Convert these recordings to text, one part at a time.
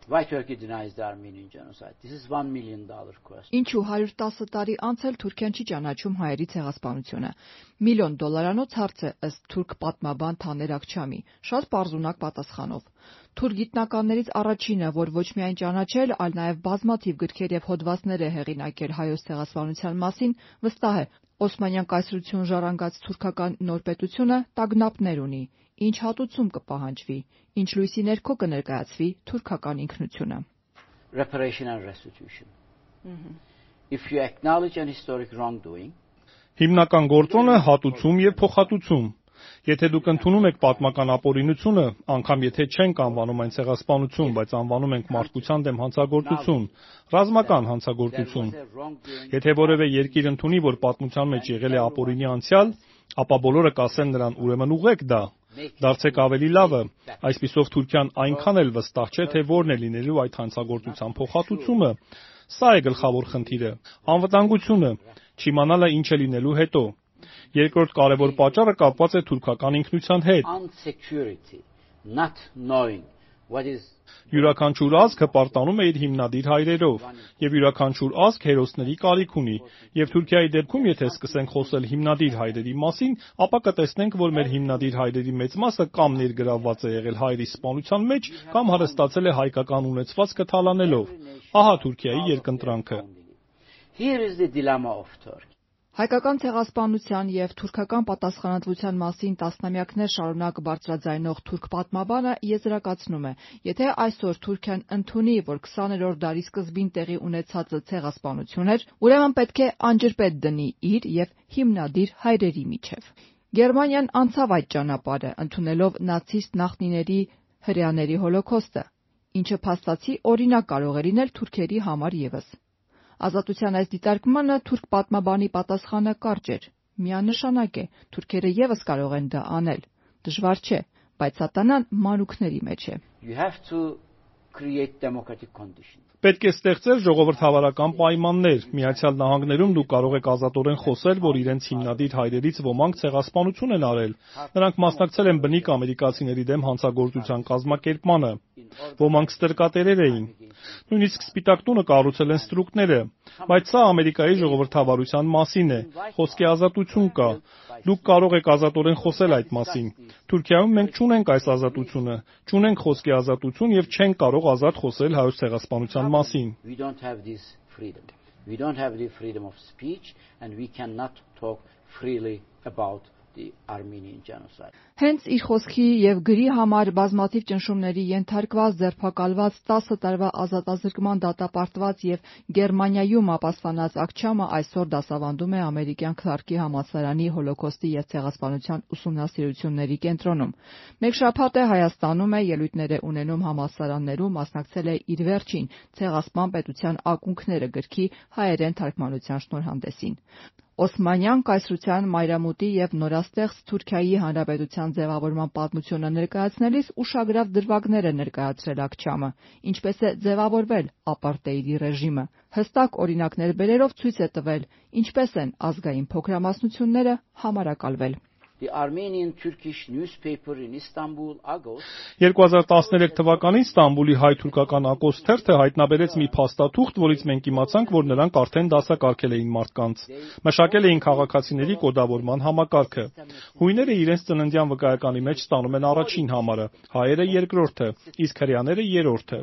Why Turkey denies the Armenian genocide? This is $1 million question. Ինչու 110 տարի անց էլ Թուրքիան չի ճանաչում հայերի ցեղասպանությունը։ $1 միլիոն հարց է ըստ թուրք պատմաբան Թաներ Աքչամի, շատ պարզունակ պատասխանով։ Թուրք գիտնականներից առաջինը, որ ոչ միայն ճանաչել, այլ նաև բազմաթիվ գրքեր եւ հոդվածներ է հեղինակել հայոց ցեղասպանության մասին, վստահ է, Օսմանյան կայսրություն ժառանգած թուրքական նոր պետությունը տագնապներ ունի, ինչ հատուցում կպահանջվի, ինչ լույսի ներքո կներկայացվի թուրքական ինքնությունը։ Reparation and restitution. If you acknowledge an historic wrongdoing, հիմնական գործոնը հատուցում եւ փոխհատուցում։ Եթե դուք ընդունում եք պատմական ապօրինությունը, անգամ եթե չենք անվանում այն ցեղասպանություն, բայց անվանում ենք մարդկության դեմ հանցագործություն, ռազմական հանցագործություն։ Եթե որևէ երկիր ընդունի, որ պատմության մեջ եղել է ապօրինի անցյալ, ապա բոլորը կասեն նրան ուրեմն ուղղեք դա։ Դարձեք ավելի լավը, այսպիսով Թուրքիան այնքան էլ վստահ չէ, թե որն է լինելու այդ հանցագործության փոխհատուցումը։ Սա է գլխավոր խնդիրը։ Անվտանգությունը, չիմանալը ինչ է լինելու հետո։ Երկրորդ կարևոր պատճառը կապված է թուրքական ինքնության հետ։ Յուրաքանչյուր ազգ հպարտանում է իր հիմնադիր հայրերով, եւ յուրաքանչյուր ազգ հերոսների կարիք ունի, եւ Թուրքիայի դեպքում, եթե սկսենք խոսել հիմնադիր հայրերի մասին, ապա կտեսնենք, որ մեր հիմնադիր հայրերի մեծ մասը կամ ներգրավված է եղել հայերի սպանության մեջ, կամ հարստացել է հայկական ունեցվածքը թալանելով։ Ահա Թուրքիայի երկընտրանքը։ Here is the dilemma of Turkey. Հայկական ցեղասպանության եւ թուրքական պատասխանատվության մասին տասնամյակներ շարունակ բարձրաձայնող թուրք պատմաբանը եզրակացնում է, եթե այսօր Թուրքիան ընդունի, որ 20-րդ դարի սկզբին տեղի ունեցածը ցեղասպանություն էր, ուրեմն պետք է անջրպետ դնի իր եւ հիմնադիր հայրերի միջև։ Գերմանիան անցավ այդ ճանապարհը, ընդունելով նացիստ նախնիների հրեաների հոլոքոստը, ինչը փաստացի օրինակ կարող է լինել թուրքերի համար եւս։ Ազատության այս դիտարկմանը թուրք պատմաբանի պատասխանը կարճ էր։ Միանշանակ է, թուրքերը եւս կարող են դա անել։ Դժվար չէ, բայց սատանան մանուկների մեջ է։ You have to create democratic conditions. Պետք է ստեղծել ժողովրդավարական պայմաններ։ Միացյալ Նահանգներում դուք կարող եք ազատորեն խոսել, որ իրենց հիմնադիր հայրերից ոմանք ցեղասպանություն են արել։ Նրանք մասնակցել են բնիկ ամերիկացիների դեմ հանցագործության կազմակերպմանը։ Ոմանք ստրկատերեր էին։ Նույնիսկ Սպիտակ տունը կառուցել են ստրուկները, բայց սա Ամերիկայի ժողովրդավարության մասին է։ Խոսքի ազատություն կա։ Դուք կարող եք ազատորեն խոսել այդ մասին։ Թուրքիայում մենք չունենք այս ազատությունը, չունենք խոսքի ազատություն եւ չենք կարող ազատ խոսել հայոց ցեղասպանության մասին։ We don't have this freedom. We don't have the freedom of speech and we cannot talk freely about the Armenian genocide. Հենց իր խոսքի եւ գրի համար բազմաթիվ ճնշումների ենթարկված, ձերբակալված, 10 տարվա ազատազրկման դատապարտված եւ Գերմանիայում ապաստանած Աքչամը այսօր դասավանդում է ամերիկյան Քլարկի համալսարանի հոլոքոստի եւ ցեղասպանության ուսումնասիրությունների կենտրոնում։ Մեկ շաբաթ է Հայաստանում է, ելույթներ է ունենում համալսարաններում, մասնակցել է իր վերջին ցեղասպան պետության ակունքները գրքի հայերեն թարգմանության շնորհանդեսին։ Օսմանյան կայսրության մայրամուտի եւ նորաստեղծ Թուրքիայի հանրապետության ձևավորման պատմությունը ներկայացնելիս ուշագրավ դրվագներ է ներկայացրել Աքչամը, ինչպես է ձևավորվել ապարտեիդի ռեժիմը։ Հստակ օրինակներ բերելով ցույց է տվել, ինչպես են ազգային փոքրամասնությունները համարակալվել։ The Armenian-Turkish newspaper in Istanbul, Agos 2013 թվականին Ստամբուլի հայ-թուրքական Ակոս թերթը հայտնաբերեց մի փաստաթուղթ, որից մենք իմացանք, որ նրանք արդեն դասակարգել էին մարդկանց։ Մշակել էին քաղաքացիների կոդավորման համակարգը։ Հույները իրենց ծննդյան վկայականի մեջ ստանում են առաջին համարը, հայերը երկրորդը, իսկ հրեաները երրորդը։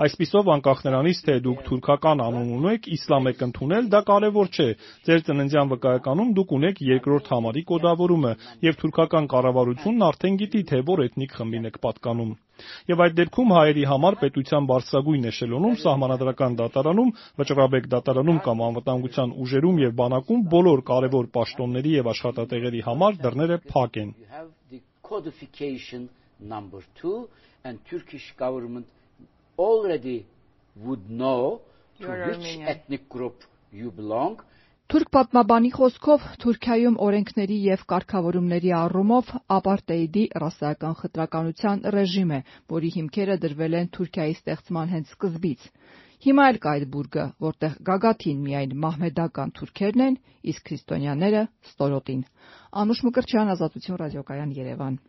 Այսպիսով, անկախ նրանից, թե դուք թուրքական անուն ունեք, իսլամ եք ընդունել, դա կարևոր չէ։ Ձեր ծննդյան վկայականում դուք ունեք երկրորդ համարի կոդավորումը, եւ թուրքական կառավարությունն արդեն գիտի, թե որ էթնիկ խմբին եք պատկանում։ Եվ այդ դեպքում հայերի համար պետության բարձրագույն էշելոնում, սահմանադրական դատարանում, վճռաբեկ դատարանում կամ անվտանգության ուժերում եւ բանակում բոլոր կարևոր պաշտոնների եւ աշխատատեղերի համար դռները փակ են։ you have the codification number 2 and Turkish government already would know to which ethnic group you belong. Թուրք պատմաբանի խոսքով Թուրքիայում օրենքների եւ կարգավորումների առումով ապարտեիդի ռասայական խտրականության ռեժիմ է, որի հիմքերը դրվել են Թուրքիայի ստեղծման հենց սկզբից։ Հիմա էլ կա այդ բուրգը, որտեղ գագաթին միայն մահմեդական թուրքերն են, իսկ քրիստոնյաները ստորոտին։ Անուշ Մկրտչյան, Ազատություն ռադիոկայան, Երևան։